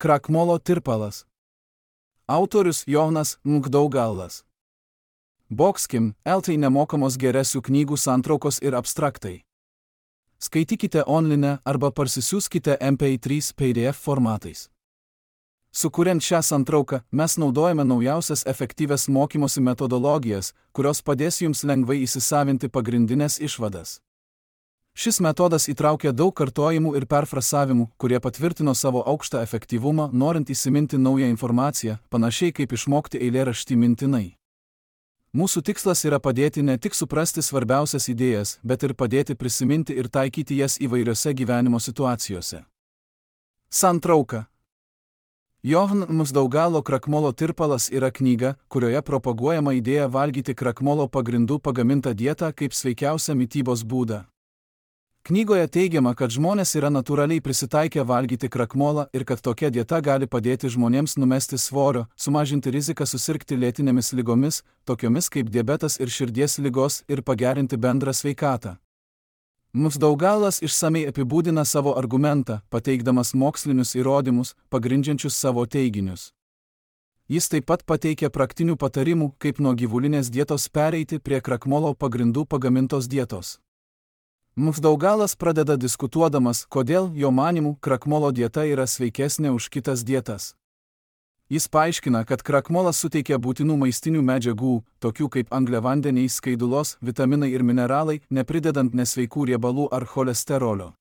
Krakmolo tirpalas. Autorius Jonas Mgdaugalas. Boxkim, LT nemokamos geresių knygų santraukos ir abstraktai. Skaitykite online arba parsisiųskite MP3 PDF formatais. Sukuriant šią santrauką, mes naudojame naujausias efektyvias mokymosi metodologijas, kurios padės jums lengvai įsisavinti pagrindinės išvadas. Šis metodas įtraukia daug kartojimų ir perfrasavimų, kurie patvirtino savo aukštą efektyvumą, norint įsiminti naują informaciją, panašiai kaip išmokti eilėraštį mintinai. Mūsų tikslas yra padėti ne tik suprasti svarbiausias idėjas, bet ir padėti prisiminti ir taikyti jas įvairiose gyvenimo situacijose. Santrauka. Johan Mgdaugalo Krakmolo tirpalas yra knyga, kurioje propaguojama idėja valgyti krakmolo pagrindų pagamintą dietą kaip sveikiausią mitybos būdą. Knygoje teigiama, kad žmonės yra natūraliai prisitaikę valgyti krakmolą ir kad tokia dieta gali padėti žmonėms numesti svorio, sumažinti riziką susirgti lėtinėmis ligomis, tokiomis kaip diabetas ir širdies ligos, ir pagerinti bendrą sveikatą. Mgdaugalas išsamei apibūdina savo argumentą, pateikdamas mokslinius įrodymus, pagrindžiančius savo teiginius. Jis taip pat pateikia praktinių patarimų, kaip nuo gyvulinės dietos pereiti prie krakmolo pagrindų pagamintos dietos. Mgdaugalas pradeda diskutuodamas, kodėl, jo manymu, krakmolo dieta yra sveikesnė už kitas dietas. Jis paaiškina, kad krakmolas suteikia būtinų maistinių medžiagų, tokių kaip angliavandeniai, skaidulos, vitaminai ir mineralai, nepridedant nesveikų riebalų ar cholesterolio.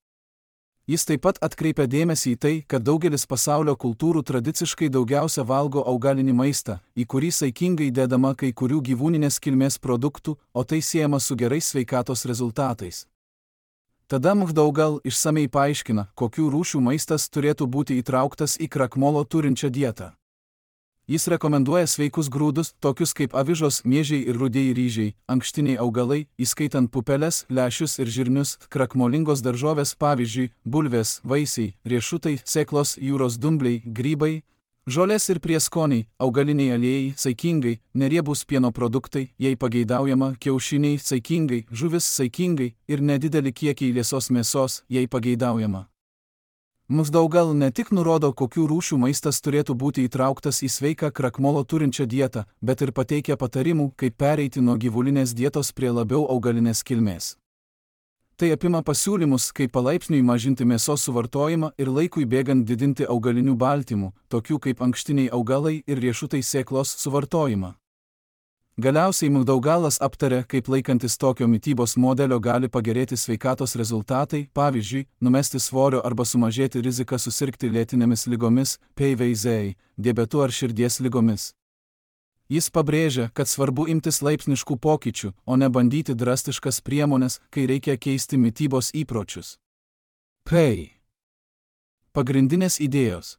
Jis taip pat atkreipia dėmesį į tai, kad daugelis pasaulio kultūrų tradiciškai daugiausia valgo augalinį maistą, į kurį saikingai dedama kai kurių gyvūninės kilmės produktų, o tai siejama su gerais sveikatos rezultatais. Tada Mgdaugal išsamei paaiškina, kokių rūšių maistas turėtų būti įtrauktas į krakmolo turinčią dietą. Jis rekomenduoja sveikus grūdus, tokius kaip avižos, miežiai ir rudieji ryžiai, ankštiniai augalai, įskaitant pupeles, lęšius ir žirnius, krakmolingos daržovės, pavyzdžiui, bulvės, vaisiai, riešutai, sėklos, jūros dumbliai, grybai, žolės ir prieskoniai, augaliniai aliejai, saikingai, neriebūs pieno produktai, jei pageidaujama, kiaušiniai, saikingai, žuvis, saikingai ir nedidelį kiekį liesos mėsos, jei pageidaujama. Mgdaugal ne tik nurodo, kokių rūšių maistas turėtų būti įtrauktas į sveiką krakmolo turinčią dietą, bet ir pateikia patarimų, kaip pereiti nuo gyvulinės dietos prie labiau augalinės kilmės. Tai apima pasiūlymus, kaip palaipsniui mažinti mėsos suvartojimą ir laikui bėgant didinti augalinių baltymų, tokių kaip ankštiniai augalai ir riešutai sėklos suvartojimą. Galiausiai Mgdaugalas aptarė, kaip laikantis tokio mitybos modelio gali pagerėti sveikatos rezultatai, pavyzdžiui, numesti svorio arba sumažėti riziką susirgti lėtinėmis ligomis, PVZ, diabetu ar širdies ligomis. Jis pabrėžia, kad svarbu imtis laipsniškų pokyčių, o ne bandyti drastiškas priemones, kai reikia keisti mitybos įpročius. Pagrindinės idėjos.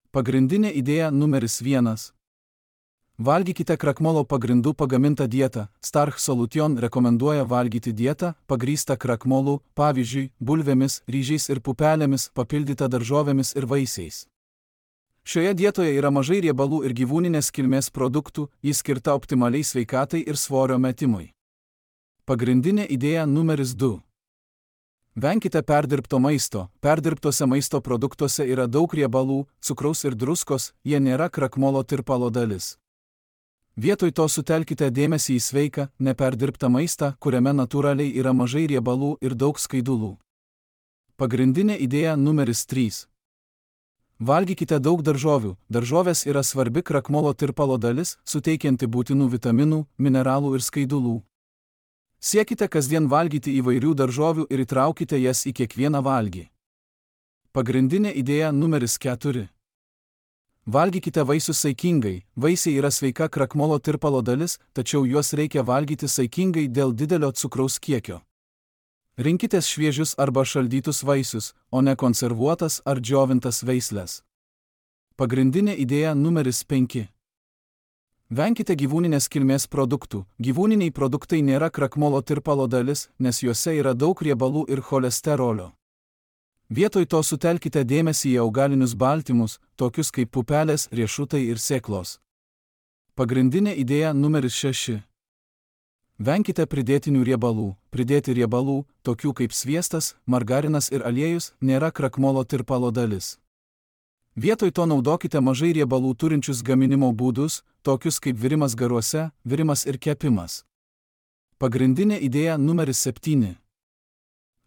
Pagrindinė idėja numeris 1. Valgykite krakmolo pagrindų pagamintą dietą. Starch Solution rekomenduoja valgyti dietą, pagrįstą krakmolu, pavyzdžiui, bulvėmis, ryžiais ir pupelėmis, papildytą daržovėmis ir vaisiais. Šioje dietoje yra mažai riebalų ir gyvūninės kilmės produktų, jis skirta optimaliai sveikatai ir svorio metimui. Pagrindinė idėja numeris 2. Venkite perdirbto maisto. Perdirbtose maisto produktuose yra daug riebalų, cukraus ir druskos, jie nėra krakmolo tirpalo dalis. Vietoj to sutelkite dėmesį į sveiką, neperdirbtą maistą, kuriame natūraliai yra mažai riebalų ir daug skaidulų. Pagrindinė idėja numeris 3. Valgykite daug daržovių. Daržovės yra svarbi krakmolo tirpalo dalis, suteikianti būtinų vitaminų, mineralų ir skaidulų. Siekite kasdien valgyti įvairių daržovių ir įtraukite jas į kiekvieną valgį. Pagrindinė idėja numeris 4. Valgykite vaisius saikingai. Vaisiai yra sveika krakmolo tirpalo dalis, tačiau juos reikia valgyti saikingai dėl didelio cukraus kiekio. Rinkitės šviežius arba šaldytus vaisius, o ne konservuotas ar džiovintas veisles. Pagrindinė idėja numeris 5. Venkite gyvūninės kilmės produktų. Gyvūniniai produktai nėra krakmolo tirpalo dalis, nes juose yra daug riebalų ir cholesterolio. Vietoj to sutelkite dėmesį į augalinius baltymus, tokius kaip pupelės, riešutai ir sėklos. Pagrindinė idėja numeris 6. Venkite pridėtinių riebalų. Pridėti riebalų, tokių kaip sviestas, margarinas ir aliejus, nėra krakmolo tirpalo dalis. Vietoj to naudokite mažai riebalų turinčius gaminimo būdus, tokius kaip virimas garuose, virimas ir kepimas. Pagrindinė idėja numeris 7.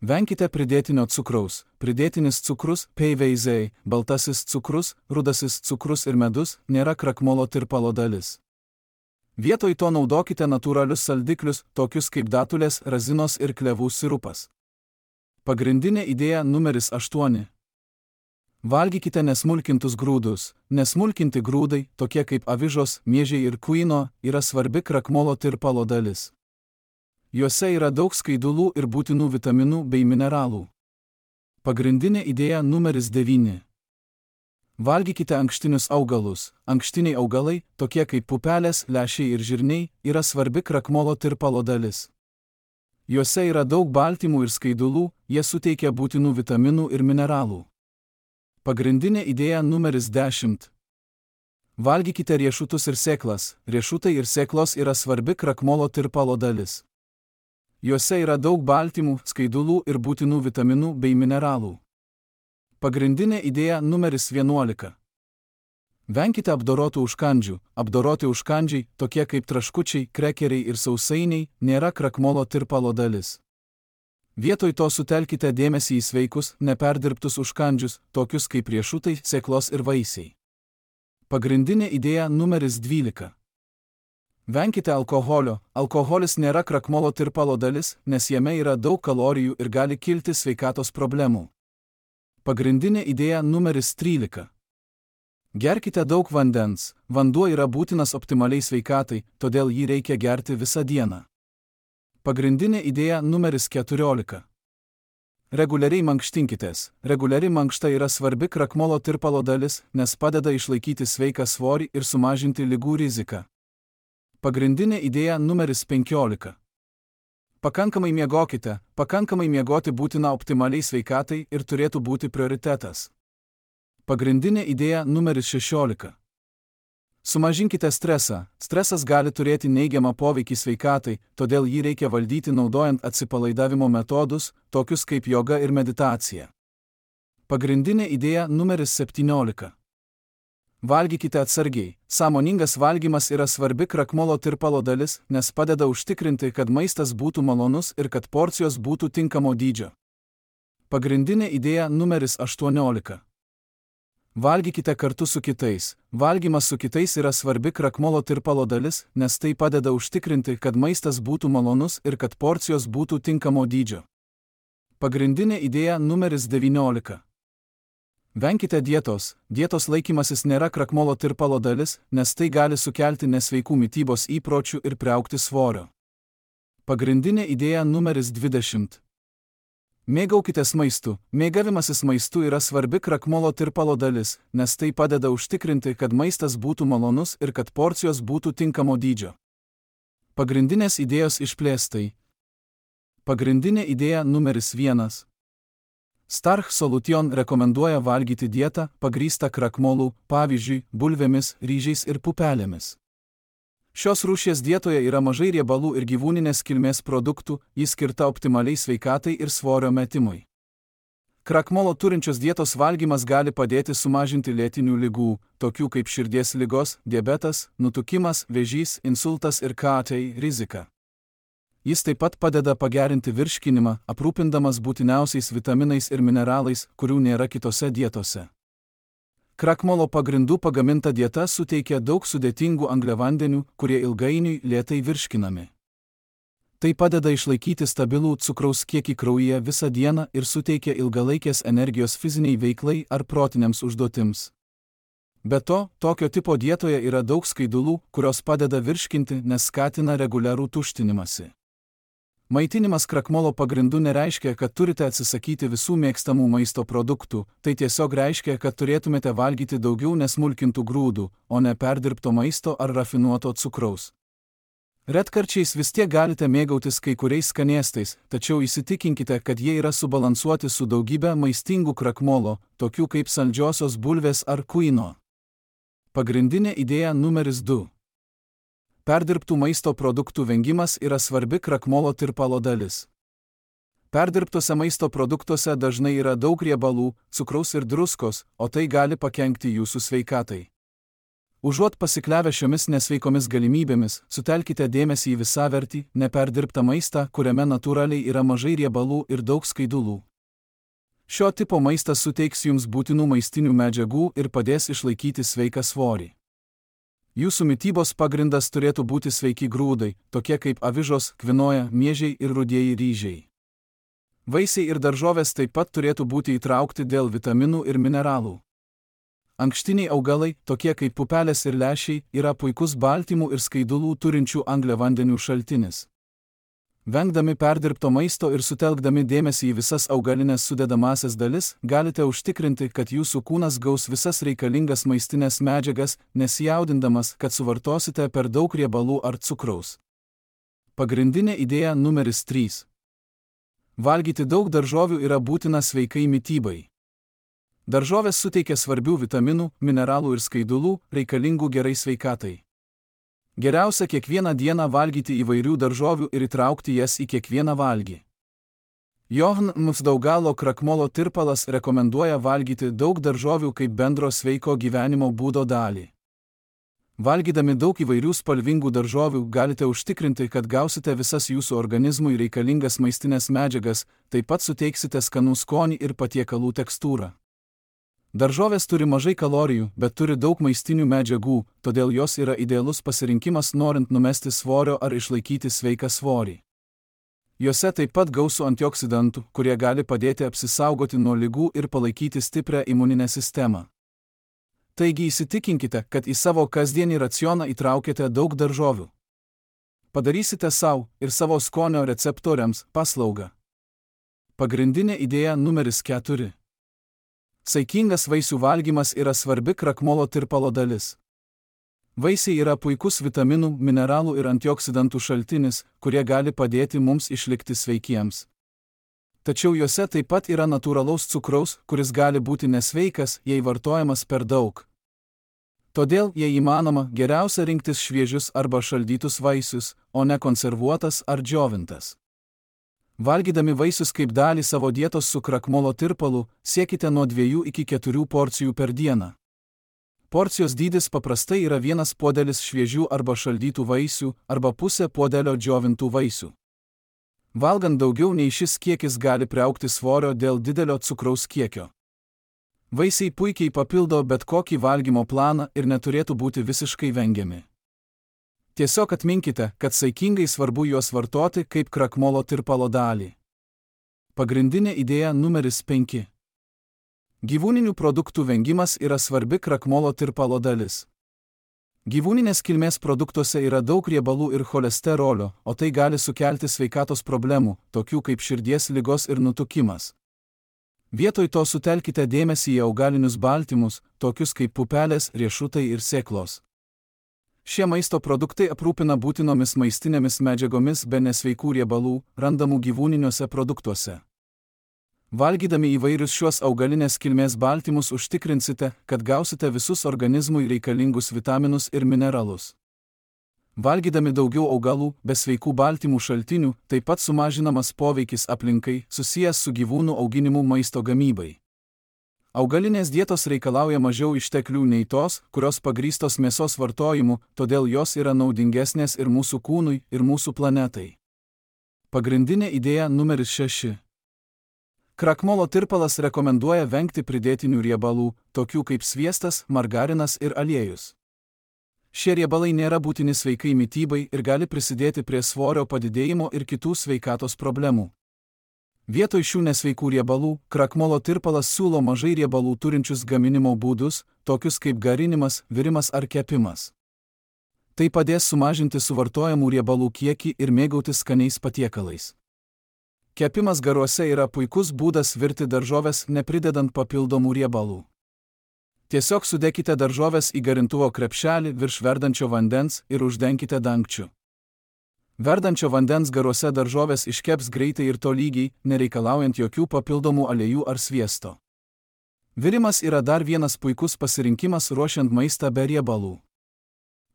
Venkite pridėtinio cukraus. Pridėtinis cukrus, PVZ, baltasis cukrus, rudasis cukrus ir medus nėra krakmolo tirpalo dalis. Vietoj to naudokite natūralius saldiklius, tokius kaip datulės, razinos ir klevų sirupas. Pagrindinė idėja numeris 8. Valgykite nesmulkintus grūdus. Nesmulkinti grūdai, tokie kaip avižos, miežiai ir kuino, yra svarbi krakmolo tirpalo dalis. Juose yra daug skaidulų ir būtinų vitaminų bei mineralų. Pagrindinė idėja numeris 9. Valgykite ankštinius augalus. Ankštiniai augalai, tokie kaip pupelės, lęšiai ir žirniai, yra svarbi krakmolo tirpalo dalis. Juose yra daug baltymų ir skaidulų, jie suteikia būtinų vitaminų ir mineralų. Pagrindinė idėja numeris 10. Valgykite riešutus ir sėklas. Riešutai ir sėklos yra svarbi krakmolo tirpalo dalis. Juose yra daug baltymų, skaidulų ir būtinų vitaminų bei mineralų. Pagrindinė idėja numeris 11. Venkite apdorotų užkandžių. Apdoroti užkandžiai, tokie kaip traškučiai, krekeriai ir sausainiai, nėra krakmolo tirpalo dalis. Vietoj to sutelkite dėmesį į sveikus, neperdirbtus užkandžius, tokius kaip riešutai, sėklos ir vaisiai. Pagrindinė idėja numeris 12. Venkite alkoholio. Alkoholis nėra krakmolo tirpalo dalis, nes jame yra daug kalorijų ir gali kilti sveikatos problemų. Pagrindinė idėja numeris 13. Gerkite daug vandens. Vanduo yra būtinas optimaliai sveikatai, todėl jį reikia gerti visą dieną. Pagrindinė idėja numeris 14. Reguliariai mankštinkitės. Reguliari mankšta yra svarbi krakmolo tirpalo dalis, nes padeda išlaikyti sveiką svorį ir sumažinti ligų riziką. Pagrindinė idėja numeris 15. Pakankamai miegokite. Pakankamai miegoti būtina optimaliai sveikatai ir turėtų būti prioritetas. Pagrindinė idėja numeris 16. Sumažinkite stresą. Stresas gali turėti neigiamą poveikį sveikatai, todėl jį reikia valdyti naudojant atsipalaidavimo metodus, tokius kaip joga ir meditacija. Pagrindinė idėja numeris 17. Valgykite atsargiai. Sąmoningas valgymas yra svarbi krakmolo tirpalo dalis, nes padeda užtikrinti, kad maistas būtų malonus ir kad porcijos būtų tinkamo dydžio. Pagrindinė idėja numeris 18. Valgykite kartu su kitais. Valgymas su kitais yra svarbi krakmolo tirpalo dalis, nes tai padeda užtikrinti, kad maistas būtų malonus ir kad porcijos būtų tinkamo dydžio. Pagrindinė idėja numeris 19. Venkite dietos. Dietos laikymasis nėra krakmolo tirpalo dalis, nes tai gali sukelti nesveikų mitybos įpročių ir priaugti svorio. Pagrindinė idėja numeris 20. Mėgaukitės maistu. Mėgavimasis maistu yra svarbi krakmolo tirpalo dalis, nes tai padeda užtikrinti, kad maistas būtų malonus ir kad porcijos būtų tinkamo dydžio. Pagrindinės idėjos išplėstai. Pagrindinė idėja numeris 1. Starch Solution rekomenduoja valgyti dietą, pagrįstą krakmolų, pavyzdžiui, bulvėmis, ryžiais ir pupelėmis. Šios rūšies dietoje yra mažai riebalų ir gyvūninės kilmės produktų, ji skirta optimaliai sveikatai ir svorio metimui. Krakmolo turinčios dietos valgymas gali padėti sumažinti lėtinių ligų, tokių kaip širdies ligos, diabetas, nutukimas, vėžys, insultas ir KT riziką. Jis taip pat padeda pagerinti virškinimą, aprūpindamas būtiniausiais vitaminais ir mineralais, kurių nėra kitose dietose. Krakmolo pagrindų pagaminta dieta suteikia daug sudėtingų angliavandenių, kurie ilgainiui lėtai virškinami. Tai padeda išlaikyti stabilų cukraus kiekį kraujyje visą dieną ir suteikia ilgalaikės energijos fiziniai veiklai ar protiniams užduotims. Be to, tokio tipo dietoje yra daug skaidulų, kurios padeda virškinti, nes skatina reguliarų tuštinimąsi. Maitinimas krakmolo pagrindų nereiškia, kad turite atsisakyti visų mėgstamų maisto produktų, tai tiesiog reiškia, kad turėtumėte valgyti daugiau nesmulkintų grūdų, o ne perdirbto maisto ar rafinuoto cukraus. Retkarčiais vis tiek galite mėgautis kai kuriais skanėstais, tačiau įsitikinkite, kad jie yra subalansuoti su daugybė maistingų krakmolo, tokių kaip saldžiosios bulvės ar kuino. Pagrindinė idėja numeris 2. Perdirbtų maisto produktų vengimas yra svarbi krakmolo tirpalo dalis. Perdirbtuose maisto produktuose dažnai yra daug riebalų, cukraus ir druskos, o tai gali pakenkti jūsų sveikatai. Užuot pasikliavę šiomis nesveikomis galimybėmis, sutelkite dėmesį į visavertį, neperdirbtą maistą, kuriame natūraliai yra mažai riebalų ir daug skaidulų. Šio tipo maistas suteiks jums būtinų maistinių medžiagų ir padės išlaikyti sveiką svorį. Jūsų mitybos pagrindas turėtų būti sveiki grūdai, tokie kaip avižos, kvinoja, miežiai ir rudieji ryžiai. Vaisiai ir daržovės taip pat turėtų būti įtraukti dėl vitaminų ir mineralų. Ankštiniai augalai, tokie kaip pupelės ir lęšiai, yra puikus baltymų ir skaidulų turinčių angliavandenių šaltinis. Vengdami perdirbto maisto ir sutelkdami dėmesį į visas augalinės sudedamąsias dalis, galite užtikrinti, kad jūsų kūnas gaus visas reikalingas maistinės medžiagas, nesijaudindamas, kad suvartosite per daug riebalų ar cukraus. Pagrindinė idėja numeris 3. Valgyti daug daržovių yra būtina sveikai mitybai. Daržovės suteikia svarbių vitaminų, mineralų ir skaidulų, reikalingų gerai sveikatai. Geriausia kiekvieną dieną valgyti įvairių daržovių ir įtraukti jas į kiekvieną valgį. Johann Mfdaugalo krakmolo tirpalas rekomenduoja valgyti daug daržovių kaip bendro sveiko gyvenimo būdo dalį. Valgydami daug įvairių spalvingų daržovių galite užtikrinti, kad gausite visas jūsų organizmui reikalingas maistinės medžiagas, taip pat suteiksite skanų skonį ir patiekalų tekstūrą. Daržovės turi mažai kalorijų, bet turi daug maistinių medžiagų, todėl jos yra idealus pasirinkimas norint numesti svorio ar išlaikyti sveiką svorį. Jose taip pat gausu antioksidantų, kurie gali padėti apsisaugoti nuo ligų ir palaikyti stiprią imuninę sistemą. Taigi įsitikinkite, kad į savo kasdienį racioną įtraukėte daug daržovių. Padarysite savo ir savo skonio receptoriams paslaugą. Pagrindinė idėja numeris 4. Saikingas vaisių valgymas yra svarbi krakmolo tirpalo dalis. Vaisiai yra puikus vitaminų, mineralų ir antioksidantų šaltinis, kurie gali padėti mums išlikti sveikiems. Tačiau juose taip pat yra natūralaus cukraus, kuris gali būti nesveikas, jei vartojamas per daug. Todėl, jei įmanoma, geriausia rinktis šviežius arba šaldytus vaisius, o ne konservuotas ar džiovintas. Valgydami vaisius kaip dalį savo dietos su krakmolo tirpalu, siekite nuo 2 iki 4 porcijų per dieną. Porcijos dydis paprastai yra 1 puodelis šviežių arba šaldytų vaisių, arba pusė puodelio džiovintų vaisių. Valgant daugiau nei šis kiekis gali priaugti svorio dėl didelio cukraus kiekio. Vaisiai puikiai papildo bet kokį valgymo planą ir neturėtų būti visiškai vengiami. Tiesiog atminkite, kad saikingai svarbu juos vartoti kaip krakmolo tirpalo dalį. Pagrindinė idėja numeris 5. Gyvūninių produktų vengimas yra svarbi krakmolo tirpalo dalis. Gyvūninės kilmės produktuose yra daug riebalų ir cholesterolio, o tai gali sukelti sveikatos problemų, tokių kaip širdies ligos ir nutukimas. Vietoj to sutelkite dėmesį į augalinius baltymus, tokius kaip pupelės, riešutai ir sėklos. Šie maisto produktai aprūpina būtinomis maistinėmis medžiagomis be nesveikų riebalų, randamų gyvūniniuose produktuose. Valgydami įvairius šiuos augalinės kilmės baltymus užtikrinsite, kad gausite visus organizmui reikalingus vitaminus ir mineralus. Valgydami daugiau augalų, be sveikų baltymų šaltinių, taip pat sumažinamas poveikis aplinkai, susijęs su gyvūnų auginimu maisto gamybai. Augalinės dietos reikalauja mažiau išteklių nei tos, kurios pagrįstos mėsos vartojimu, todėl jos yra naudingesnės ir mūsų kūnui, ir mūsų planetai. Pagrindinė idėja numeris 6. Krakmolo tirpalas rekomenduoja vengti pridėtinių riebalų, tokių kaip sviestas, margarinas ir aliejus. Šie riebalai nėra būtini sveikai mitybai ir gali prisidėti prie svorio padidėjimo ir kitų sveikatos problemų. Vietoj šių nesveikų riebalų, krakmolo tirpalas siūlo mažai riebalų turinčius gaminimo būdus, tokius kaip garinimas, virimas ar kepimas. Tai padės sumažinti suvartojamų riebalų kiekį ir mėgautis skaniais patiekalais. Kepimas garuose yra puikus būdas virti daržoves nepridedant papildomų riebalų. Tiesiog sudėkite daržoves į garintuvo krepšelį virš verdančio vandens ir uždenkite dangčiu. Verdančio vandens garuose daržovės iškeps greitai ir tolygiai, nereikalaujant jokių papildomų aliejų ar sviesto. Virimas yra dar vienas puikus pasirinkimas ruošiant maistą be riebalų.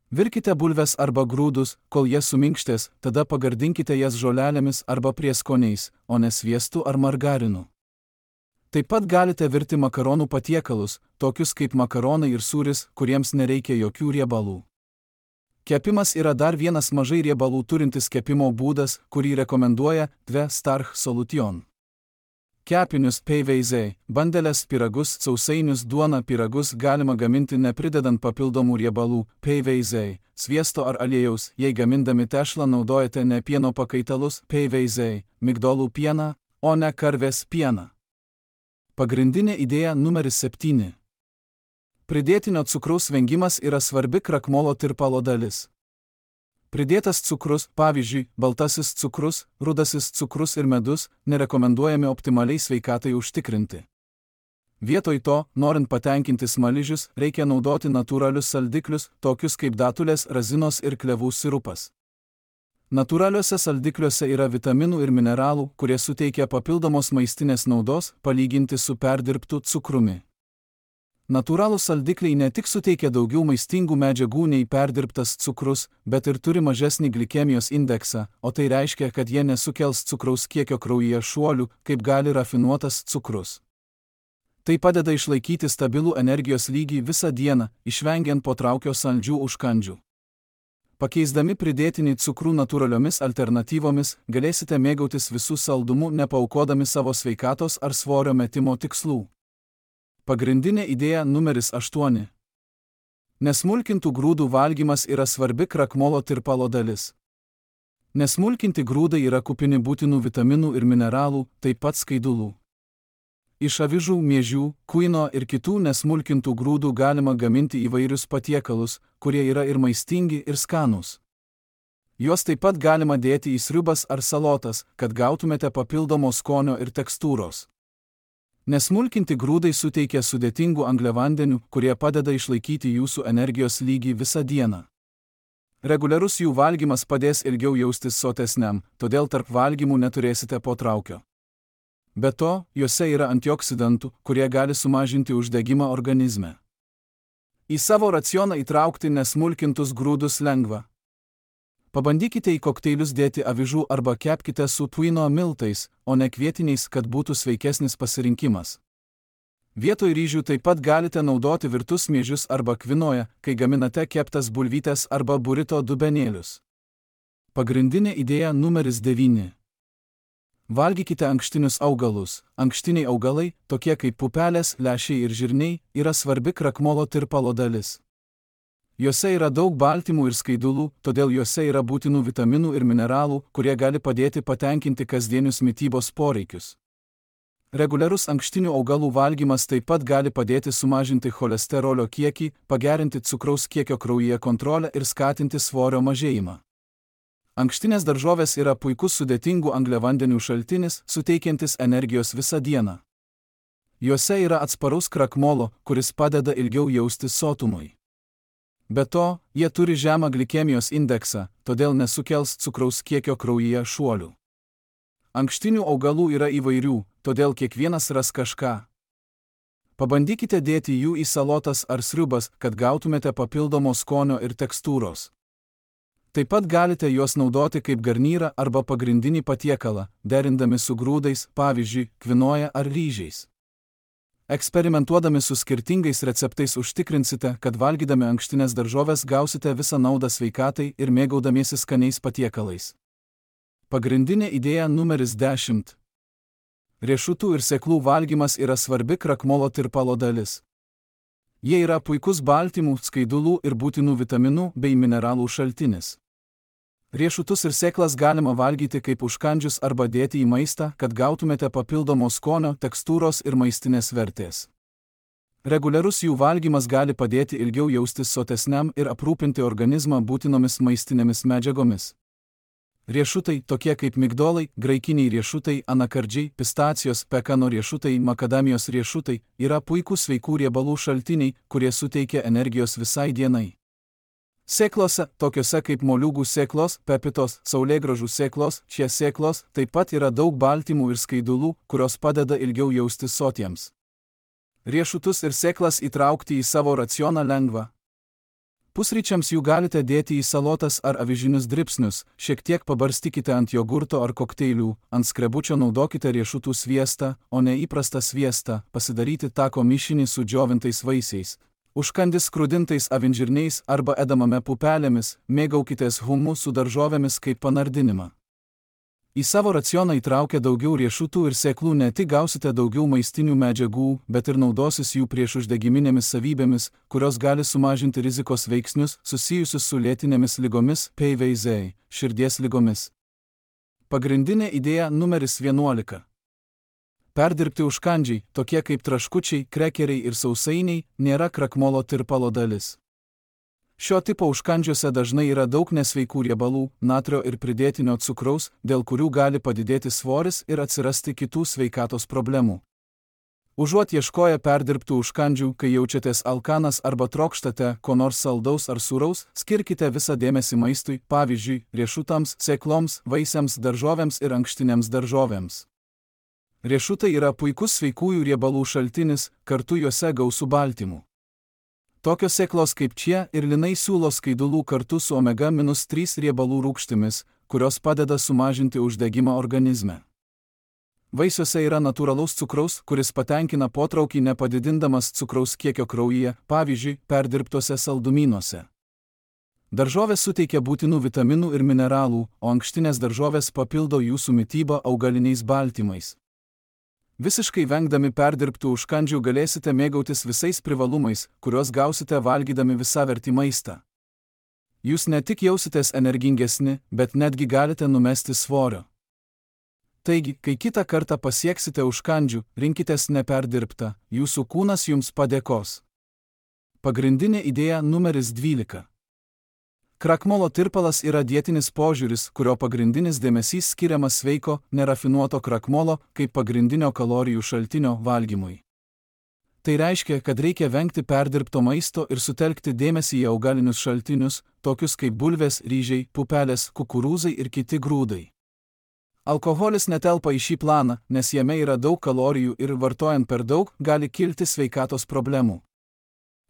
Virkite bulves arba grūdus, kol jie suminkštės, tada pagardinkite jas žolelėmis arba prieskoniais, o ne sviestu ar margarinu. Taip pat galite virti makaronų patiekalus, tokius kaip makaronai ir sūris, kuriems nereikia jokių riebalų. Kepimas yra dar vienas mažai riebalų turintis kepimo būdas, kurį rekomenduoja Tve Starch Solution. Kepinius PVZ, bandelės pyragus, sausainius, duoną pyragus galima gaminti nepridedant papildomų riebalų PVZ, sviesto ar aliejaus, jei gamindami tešlą naudojate ne pieno pakaitalus PVZ, migdolų pieną, o ne karvės pieną. Pagrindinė idėja numeris 7. Pridėtinio cukraus vengimas yra svarbi krakmolo tirpalo dalis. Pridėtas cukrus, pavyzdžiui, baltasis cukrus, rudasis cukrus ir medus, nerekomenduojami optimaliai sveikatai užtikrinti. Vietoj to, norint patenkinti smaližius, reikia naudoti natūralius saldiklius, tokius kaip datulės, razinos ir klevų sirupas. Natūraliuose saldikliuose yra vitaminų ir mineralų, kurie suteikia papildomos maistinės naudos, palyginti su perdirbtu cukrumi. Natūralūs saldikliai ne tik suteikia daugiau maistingų medžiagų nei perdirbtas cukrus, bet ir turi mažesnį glikemijos indeksą, o tai reiškia, kad jie nesukels cukraus kiekio kraujyje šuolių, kaip gali rafinuotas cukrus. Tai padeda išlaikyti stabilų energijos lygį visą dieną, išvengiant potraukio saldžių užkandžių. Pakeisdami pridėtinį cukrų natūraliomis alternatyvomis, galėsite mėgautis visų saldumų, nepaaukodami savo sveikatos ar svorio metimo tikslų. Pagrindinė idėja numeris 8. Nesmulkintų grūdų valgymas yra svarbi krakmolo tirpalo dalis. Nesmulkinti grūdai yra kupini būtinų vitaminų ir mineralų, taip pat skaidulų. Iš avižų, miežių, kuino ir kitų nesmulkintų grūdų galima gaminti įvairius patiekalus, kurie yra ir maistingi, ir skanūs. Juos taip pat galima dėti į sriubas ar salotas, kad gautumėte papildomo skonio ir tekstūros. Nesmulkinti grūdai suteikia sudėtingų angliavandenių, kurie padeda išlaikyti jūsų energijos lygį visą dieną. Reguliarus jų valgymas padės ilgiau jaustis sotesniam, todėl tarp valgymų neturėsite potraukio. Be to, juose yra antioksidantų, kurie gali sumažinti uždegimą organizme. Į savo racioną įtraukti nesmulkintus grūdus lengva. Pabandykite į kokteilius dėti avižų arba kepkite su tuino miltais, o ne kvietiniais, kad būtų sveikesnis pasirinkimas. Vietoj ryžių taip pat galite naudoti virtus miežius arba kvinoją, kai gaminate keptas bulvytes arba burito dubenėlius. Pagrindinė idėja numeris 9. Valgykite ankštinius augalus. Ankštiniai augalai, tokie kaip pupelės, lęšiai ir žirniai, yra svarbi krakmolo tirpalo dalis. Juose yra daug baltymų ir skaidulų, todėl juose yra būtinų vitaminų ir mineralų, kurie gali padėti patenkinti kasdienius mitybos poreikius. Reguliarus ankštinių augalų valgymas taip pat gali padėti sumažinti cholesterolio kiekį, pagerinti cukraus kiekio kraujyje kontrolę ir skatinti svorio mažėjimą. Ankštinės daržovės yra puikus sudėtingų angliavandenių šaltinis, suteikiantis energijos visą dieną. Juose yra atsparus krakmolo, kuris padeda ilgiau jaustis sotumui. Be to, jie turi žemą glikemijos indeksą, todėl nesukels cukraus kiekio kraujyje šuolių. Ankštinių augalų yra įvairių, todėl kiekvienas ras kažką. Pabandykite dėti jų į salotas ar sriubas, kad gautumėte papildomo skonio ir tekstūros. Taip pat galite juos naudoti kaip garnyrą arba pagrindinį patiekalą, derindami su grūdais, pavyzdžiui, kvinoja ar ryžiais. Eksperimentuodami su skirtingais receptais užtikrinsite, kad valgydami ankštines daržoves gausite visą naudą sveikatai ir mėgaudamiesi skaniais patiekalais. Pagrindinė idėja numeris 10. Riešutų ir sėklų valgymas yra svarbi krakmolo tirpalo dalis. Jie yra puikus baltymų, skaidulų ir būtinų vitaminų bei mineralų šaltinis. Riešutus ir sėklas galima valgyti kaip užkandžius arba dėti į maistą, kad gautumėte papildomo skonio, tekstūros ir maistinės vertės. Reguliarus jų valgymas gali padėti ilgiau jaustis sotesniam ir aprūpinti organizmą būtinomis maistinėmis medžiagomis. Riešutai, tokie kaip migdolai, graikiniai riešutai, anakardžiai, pistacijos, pekano riešutai, makadamijos riešutai, yra puikūs sveikų riebalų šaltiniai, kurie suteikia energijos visai dienai. Sėklose, tokiose kaip moliūgų sėklos, pepitos, saulėgrąžų sėklos, šie sėklos, taip pat yra daug baltymų ir skaidulų, kurios padeda ilgiau jaustis sotiems. Riešutus ir sėklas įtraukti į savo racioną lengva. Pusryčiams jų galite dėti į salotas ar avižinius dribsnius, šiek tiek pabarstykite ant jogurto ar kokteilių, ant skrebučio naudokite riešutų sviestą, o ne įprastą sviestą, pasidaryti tako mišinį su džiovintais vaisiais. Užkandis skrudintais avinžirniais arba edamame pupelėmis, mėgaukitės humu su daržovėmis kaip panardinimą. Į savo racioną įtraukę daugiau riešutų ir sėklų ne tik gausite daugiau maistinių medžiagų, bet ir naudosis jų priešuždegiminėmis savybėmis, kurios gali sumažinti rizikos veiksnius susijusius su lėtinėmis ligomis, PVZ, širdies ligomis. Pagrindinė idėja numeris 11. Perdirbti užkandžiai, tokie kaip traškučiai, krekeriai ir sausainiai, nėra krakmolo tirpalo dalis. Šio tipo užkandžiuose dažnai yra daug nesveikų riebalų, natrio ir pridėtinio cukraus, dėl kurių gali padidėti svoris ir atsirasti kitų sveikatos problemų. Užuot ieškoję perdirbtų užkandžių, kai jaučiatės alkanas arba trokštate ko nors saldaus ar sūraus, skirkite visą dėmesį maistui, pavyzdžiui, riešutams, sėkloms, vaisiams, daržovėms ir ankštiniams daržovėms. Riešutai yra puikus sveikųjų riebalų šaltinis, kartu juose gausu baltymų. Tokios sėklos kaip čia ir linai siūlo skaidulų kartu su omega-3 riebalų rūgštimis, kurios padeda sumažinti uždegimą organizme. Vaisiuose yra natūralaus cukraus, kuris patenkina potraukį nepadidindamas cukraus kiekio kraujyje, pavyzdžiui, perdirbtuose saldumynuose. Daržovės suteikia būtinų vitaminų ir mineralų, o ankštinės daržovės papildo jūsų mitybą augaliniais baltymais. Visiškai vengdami perdirbtų užkandžių galėsite mėgautis visais privalumais, kuriuos gausite valgydami visavertį maistą. Jūs ne tik jausitės energingesni, bet netgi galite numesti svorio. Taigi, kai kitą kartą pasieksite užkandžių, rinkitės neperdirbtą, jūsų kūnas jums padėkos. Pagrindinė idėja numeris 12. Krakmolo tirpalas yra dietinis požiūris, kurio pagrindinis dėmesys skiriamas sveiko, nerafinuoto krakmolo kaip pagrindinio kalorijų šaltinio valgymui. Tai reiškia, kad reikia vengti perdirbto maisto ir sutelkti dėmesį į augalinius šaltinius, tokius kaip bulvės, ryžiai, pupelės, kukurūzai ir kiti grūdai. Alkoholis netelpa į šį planą, nes jame yra daug kalorijų ir vartojant per daug gali kilti sveikatos problemų.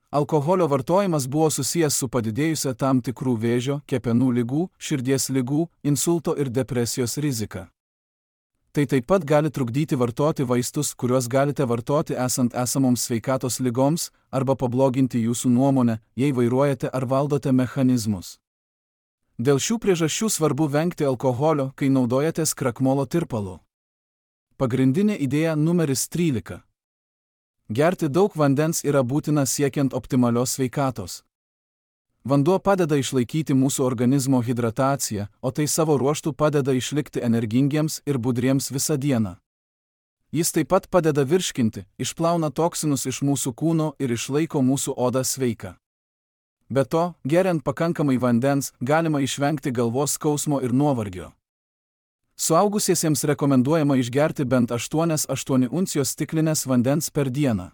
Alkoholio vartojimas buvo susijęs su padidėjusia tam tikrų vėžio, kepenų ligų, širdies ligų, insulto ir depresijos rizika. Tai taip pat gali trukdyti vartoti vaistus, kuriuos galite vartoti esant esamoms sveikatos ligoms, arba pabloginti jūsų nuomonę, jei vairuojate ar valdote mechanizmus. Dėl šių priežasčių svarbu vengti alkoholio, kai naudojatės krakmolo tirpalu. Pagrindinė idėja numeris 13. Gerti daug vandens yra būtina siekiant optimalios sveikatos. Vanduo padeda išlaikyti mūsų organizmo hidrataciją, o tai savo ruožtu padeda išlikti energingiems ir budriems visą dieną. Jis taip pat padeda virškinti, išplauna toksinus iš mūsų kūno ir išlaiko mūsų odą sveiką. Be to, geriant pakankamai vandens, galima išvengti galvos skausmo ir nuovargio. Suaugusiesiems rekomenduojama išgerti bent 8 uncijos stiklinės vandens per dieną.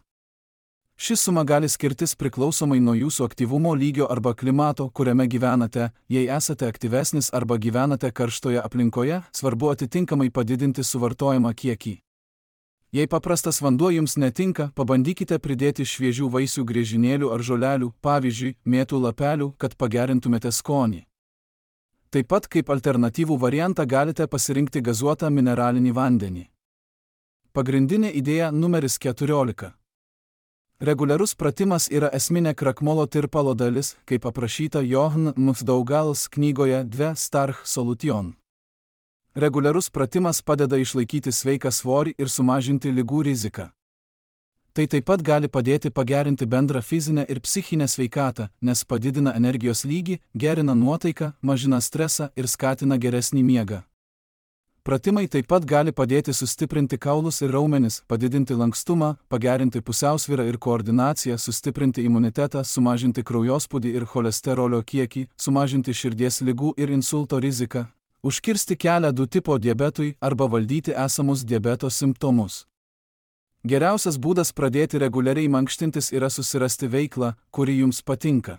Ši suma gali skirtis priklausomai nuo jūsų aktyvumo lygio arba klimato, kuriame gyvenate. Jei esate aktyvesnis arba gyvenate karštoje aplinkoje, svarbu atitinkamai padidinti suvartojamą kiekį. Jei paprastas vanduo jums netinka, pabandykite pridėti šviežių vaisių griežinėlių ar žolelių, pavyzdžiui, mėtų lapelių, kad pagerintumėte skonį. Taip pat kaip alternatyvų variantą galite pasirinkti gazuotą mineralinį vandenį. Pagrindinė idėja numeris 14. Reguliarus pratimas yra esminė krakmolo tirpalo dalis, kaip aprašyta Johann Mufdaugals knygoje Dve Starch Solution. Reguliarus pratimas padeda išlaikyti sveiką svorį ir sumažinti ligų riziką. Tai taip pat gali padėti pagerinti bendrą fizinę ir psichinę sveikatą, nes padidina energijos lygį, gerina nuotaiką, mažina stresą ir skatina geresnį miegą. Pratimai taip pat gali padėti sustiprinti kaulus ir raumenis, padidinti lankstumą, pagerinti pusiausvyrą ir koordinaciją, sustiprinti imunitetą, sumažinti kraujospūdį ir cholesterolio kiekį, sumažinti širdies ligų ir insulto riziką, užkirsti kelią 2 tipo diabetui arba valdyti esamus diabeto simptomus. Geriausias būdas pradėti reguliariai mankštintis yra susirasti veiklą, kuri jums patinka.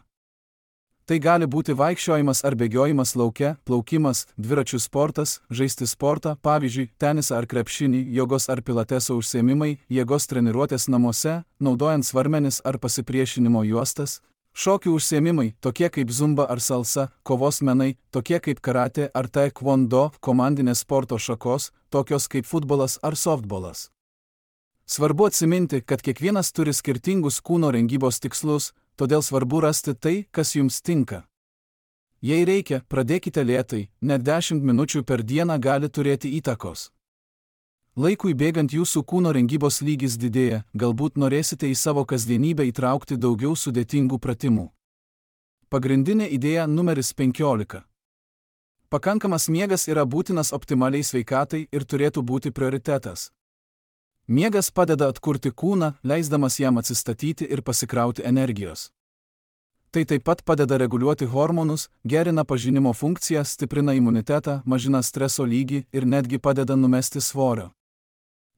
Tai gali būti vaikščiojimas ar bėgiojimas lauke, plaukimas, dviračių sportas, žaisti sportą, pavyzdžiui, tenisą ar krepšinį, jogos ar pilateso užsiėmimai, jėgos treniruotės namuose, naudojant svarmenis ar pasipriešinimo juostas, Šokių užsiėmimai, tokie kaip zumba ar salsa, kovos menai, tokie kaip karate ar taekwondo, komandinės sporto šakos, tokios kaip futbolas ar softbolas. Svarbu atsiminti, kad kiekvienas turi skirtingus kūno rengybos tikslus, todėl svarbu rasti tai, kas jums tinka. Jei reikia, pradėkite lėtai, net 10 minučių per dieną gali turėti įtakos. Laikui bėgant jūsų kūno rengybos lygis didėja, galbūt norėsite į savo kasdienybę įtraukti daugiau sudėtingų pratimų. Pagrindinė idėja numeris 15. Pakankamas miegas yra būtinas optimaliai sveikatai ir turėtų būti prioritetas. Miegas padeda atkurti kūną, leisdamas jam atsistatyti ir pasikrauti energijos. Tai taip pat padeda reguliuoti hormonus, gerina pažinimo funkciją, stiprina imunitetą, mažina streso lygį ir netgi padeda numesti svorio.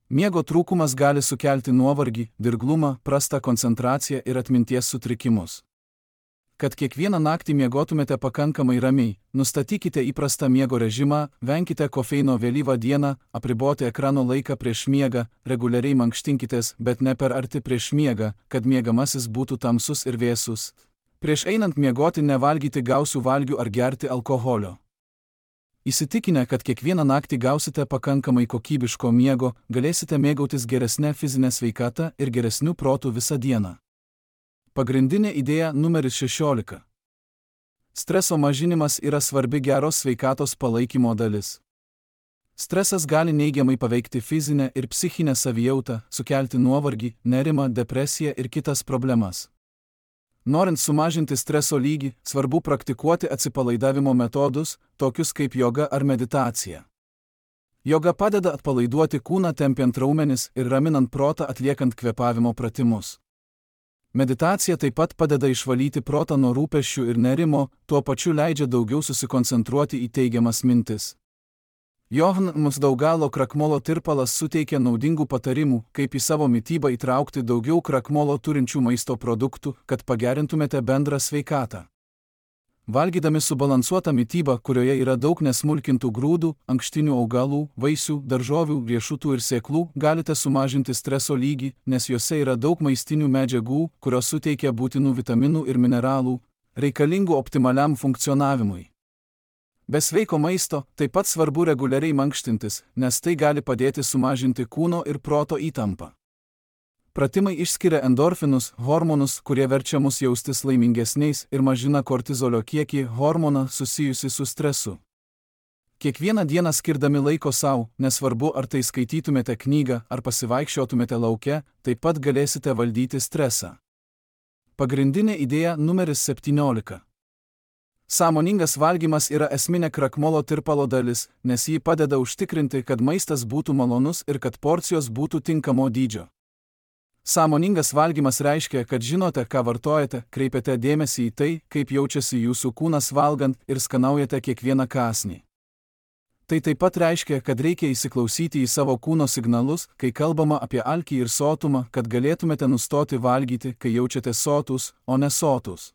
Miego trūkumas gali sukelti nuovargį, dirglumą, prastą koncentraciją ir atminties sutrikimus. Kad kiekvieną naktį miegotumėte pakankamai ramiai, nustatykite įprastą miego režimą, venkite kofeino vėlyvą dieną, apriboti ekrano laiką prieš miegą, reguliariai mankštinkitės, bet ne per arti prieš miegą, kad miegamasis būtų tamsus ir vėsus. Prieš einant miegoti nevalgyti gausių valgių ar gerti alkoholio. Įsitikinę, kad kiekvieną naktį gausite pakankamai kokybiško miego, galėsite mėgautis geresnę fizinę sveikatą ir geresniu protu visą dieną. Pagrindinė idėja numeris 16. Streso mažinimas yra svarbi geros sveikatos palaikymo dalis. Stresas gali neigiamai paveikti fizinę ir psichinę savijautą, sukelti nuovargį, nerimą, depresiją ir kitas problemas. Norint sumažinti streso lygį, svarbu praktikuoti atsipalaidavimo metodus, tokius kaip joga ar meditacija. Joga padeda atpalaiduoti kūną tempiant raumenis ir raminant protą atliekant kvėpavimo pratimus. Meditacija taip pat padeda išvalyti protą nuo rūpesčių ir nerimo, tuo pačiu leidžia daugiau susikoncentruoti į teigiamas mintis. Johan Musdaugalo krakmolo tirpalas suteikia naudingų patarimų, kaip į savo mitybą įtraukti daugiau krakmolo turinčių maisto produktų, kad pagerintumėte bendrą sveikatą. Valgydami subalansuotą mitybą, kurioje yra daug nesmulkintų grūdų, ankštinių augalų, vaisių, daržovių, riešutų ir sėklų, galite sumažinti streso lygį, nes juose yra daug maistinių medžiagų, kurios suteikia būtinų vitaminų ir mineralų, reikalingų optimaliam funkcionavimui. Be sveiko maisto taip pat svarbu reguliariai mankštintis, nes tai gali padėti sumažinti kūno ir proto įtampą. Pratimai išskiria endorfinus, hormonus, kurie verčia mus jaustis laimingesniais ir mažina kortizolio kiekį, hormoną susijusi su stresu. Kiekvieną dieną skirdami laiko sau, nesvarbu ar tai skaitytumėte knygą ar pasivaikščiotumėte lauke, taip pat galėsite valdyti stresą. Pagrindinė idėja numeris 17. Sąmoningas valgymas yra esminė krakmolo tirpalo dalis, nes jį padeda užtikrinti, kad maistas būtų malonus ir kad porcijos būtų tinkamo dydžio. Sąmoningas valgymas reiškia, kad žinote, ką vartojate, kreipiate dėmesį į tai, kaip jaučiasi jūsų kūnas valgant ir skanaujate kiekvieną kąsnį. Tai taip pat reiškia, kad reikia įsiklausyti į savo kūno signalus, kai kalbama apie alkį ir sotumą, kad galėtumėte nustoti valgyti, kai jaučiate sotus, o ne sotus.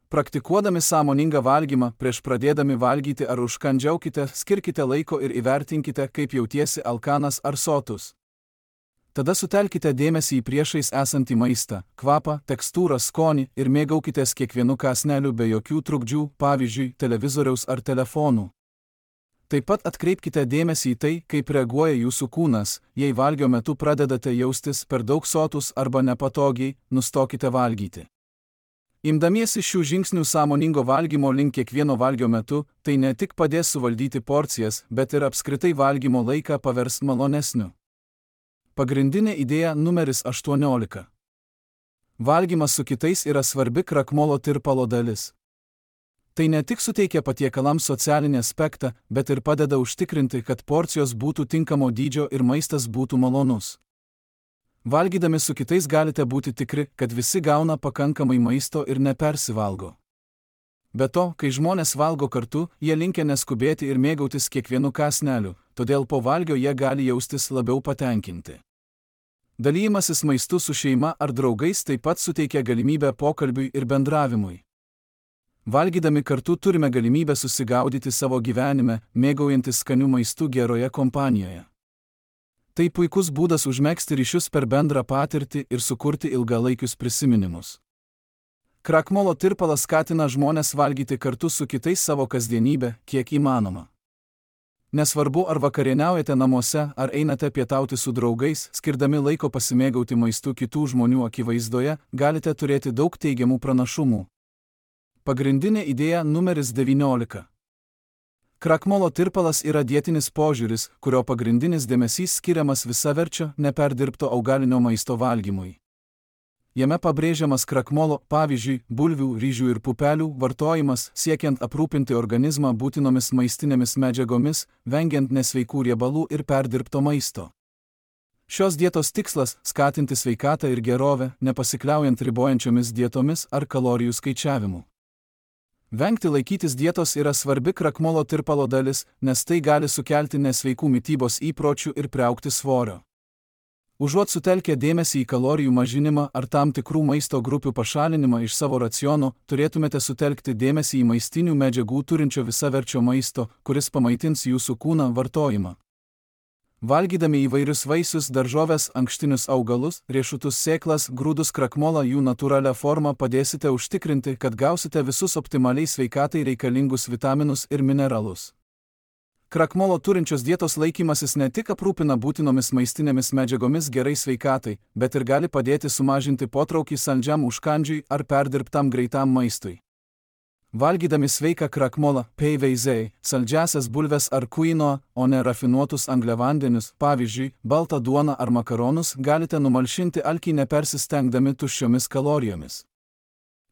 Praktikuodami sąmoningą valgymą, prieš pradėdami valgyti ar užkandžiaukite, skirkite laiko ir įvertinkite, kaip jautiesi alkanas ar sotus. Tada sutelkite dėmesį į priešais esantį maistą, kvapą, tekstūrą, skonį ir mėgaukitės kiekvienu kąsneliu be jokių trukdžių, pavyzdžiui, televizoriaus ar telefonų. Taip pat atkreipkite dėmesį į tai, kaip reaguoja jūsų kūnas, jei valgio metu pradedate jaustis per daug sotus arba nepatogiai, nustokite valgyti. Imdamiesi šių žingsnių sąmoningo valgymo link kiekvieno valgio metu, tai ne tik padės suvaldyti porcijas, bet ir apskritai valgymo laiką pavers malonesniu. Pagrindinė idėja numeris 18. Valgymas su kitais yra svarbi krakmolo tirpalo dalis. Tai ne tik suteikia patiekalams socialinį aspektą, bet ir padeda užtikrinti, kad porcijos būtų tinkamo dydžio ir maistas būtų malonus. Valgydami su kitais galite būti tikri, kad visi gauna pakankamai maisto ir nepersivalgo. Be to, kai žmonės valgo kartu, jie linkę neskubėti ir mėgautis kiekvienu kąsneliu, todėl po valgio jie gali jaustis labiau patenkinti. Dalymasis maistu su šeima ar draugais taip pat suteikia galimybę pokalbiui ir bendravimui. Valgydami kartu turime galimybę susigaudyti savo gyvenime, mėgaujantis skaniu maistu geroje kompanijoje. Tai puikus būdas užmegzti ryšius per bendrą patirtį ir sukurti ilgalaikius prisiminimus. Krakmolo tirpalas skatina žmones valgyti kartu su kitais savo kasdienybę, kiek įmanoma. Nesvarbu, ar vakarieniaujate namuose, ar einate pietauti su draugais, skirdami laiko pasimėgauti maistu kitų žmonių akivaizdoje, galite turėti daug teigiamų pranašumų. Pagrindinė idėja numeris 19. Krakmolo tirpalas yra dietinis požiūris, kurio pagrindinis dėmesys skiriamas visaverčio, neperdirbto augalinio maisto valgymui. Jame pabrėžiamas krakmolo, pavyzdžiui, bulvių, ryžių ir pupelių vartojimas, siekiant aprūpinti organizmą būtinomis maistinėmis medžiagomis, vengiant nesveikų riebalų ir perdirbto maisto. Šios dietos tikslas – skatinti sveikatą ir gerovę, nepasikliaujant ribojančiomis dietomis ar kalorijų skaičiavimu. Vengti laikytis dietos yra svarbi krakmolo tirpalo dalis, nes tai gali sukelti nesveikų mitybos įpročių ir priaugti svorio. Užuot sutelkę dėmesį į kalorijų mažinimą ar tam tikrų maisto grupių pašalinimą iš savo raciono, turėtumėte sutelkti dėmesį į maistinių medžiagų turinčio visaverčio maisto, kuris pamaitins jūsų kūną vartojimą. Valgydami įvairius vaisius, daržoves, ankštinius augalus, riešutus, sėklas, grūdus, krakmolą jų natūralią formą padėsite užtikrinti, kad gausite visus optimaliai sveikatai reikalingus vitaminus ir mineralus. Krakmolo turinčios dietos laikymasis ne tik aprūpina būtinomis maistinėmis medžiagomis gerai sveikatai, bet ir gali padėti sumažinti potraukį saldžiam užkandžiui ar perdirbtam greitam maistui. Valgydami sveiką krakmolą, peiveizei, saldžiasias bulves ar kuino, o ne rafinuotus angliavandenius, pavyzdžiui, baltą duoną ar makaronus, galite numalšinti alkį nepersistengdami tuščiomis kalorijomis.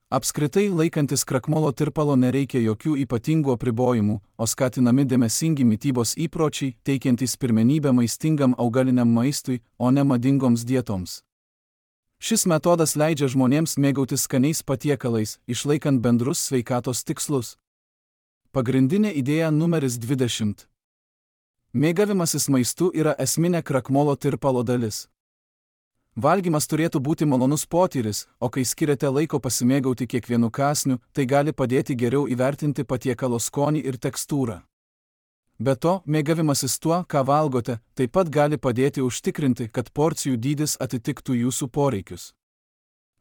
Apskritai, laikantis krakmolo tirpalo nereikia jokių ypatingų apribojimų, o skatinami dėmesingi mitybos įpročiai, teikiantys pirmenybę maistingam augaliniam maistui, o ne madingoms dietoms. Šis metodas leidžia žmonėms mėgautis skaniais patiekalais, išlaikant bendrus sveikatos tikslus. Pagrindinė idėja numeris 20. Mėgavimasis maistu yra esminė krakmolo tirpalo dalis. Valgymas turėtų būti malonus potyris, o kai skiriate laiko pasimėgauti kiekvienu kąsniu, tai gali padėti geriau įvertinti patiekalo skonį ir tekstūrą. Be to, mėgavimasis tuo, ką valgote, taip pat gali padėti užtikrinti, kad porcijų dydis atitiktų jūsų poreikius.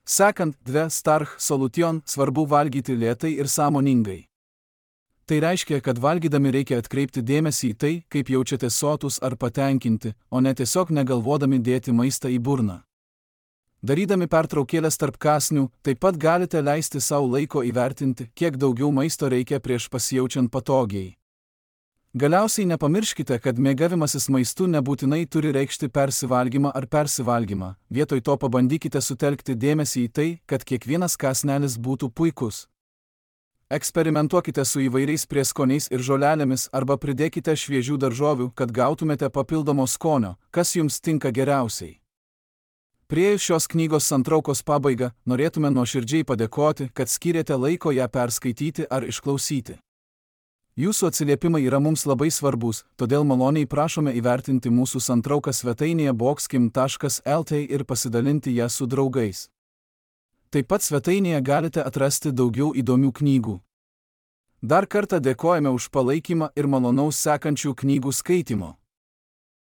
Sekant, starch solution, svarbu valgyti lėtai ir sąmoningai. Tai reiškia, kad valgydami reikia atkreipti dėmesį į tai, kaip jaučiatės sotus ar patenkinti, o ne tiesiog negalvodami dėti maistą į burną. Darydami pertraukėlės tarp kąsnių, taip pat galite leisti savo laiko įvertinti, kiek daugiau maisto reikia prieš pasijaučiant patogiai. Galiausiai nepamirškite, kad mėgavimasis maistu nebūtinai turi reikšti persivalgymą ar persivalgymą, vietoj to pabandykite sutelkti dėmesį į tai, kad kiekvienas kąsnelis būtų puikus. Eksperimentuokite su įvairiais prieskoniais ir žolelėmis arba pridėkite šviežių daržovių, kad gautumėte papildomo skonio, kas jums tinka geriausiai. Priėjus šios knygos santraukos pabaigą, norėtume nuoširdžiai padėkoti, kad skyrėte laiko ją perskaityti ar išklausyti. Jūsų atsiliepimai yra mums labai svarbus, todėl maloniai prašome įvertinti mūsų santrauką svetainėje boxkim.lt ir pasidalinti ją su draugais. Taip pat svetainėje galite atrasti daugiau įdomių knygų. Dar kartą dėkojame už palaikymą ir malonaus sekančių knygų skaitymo.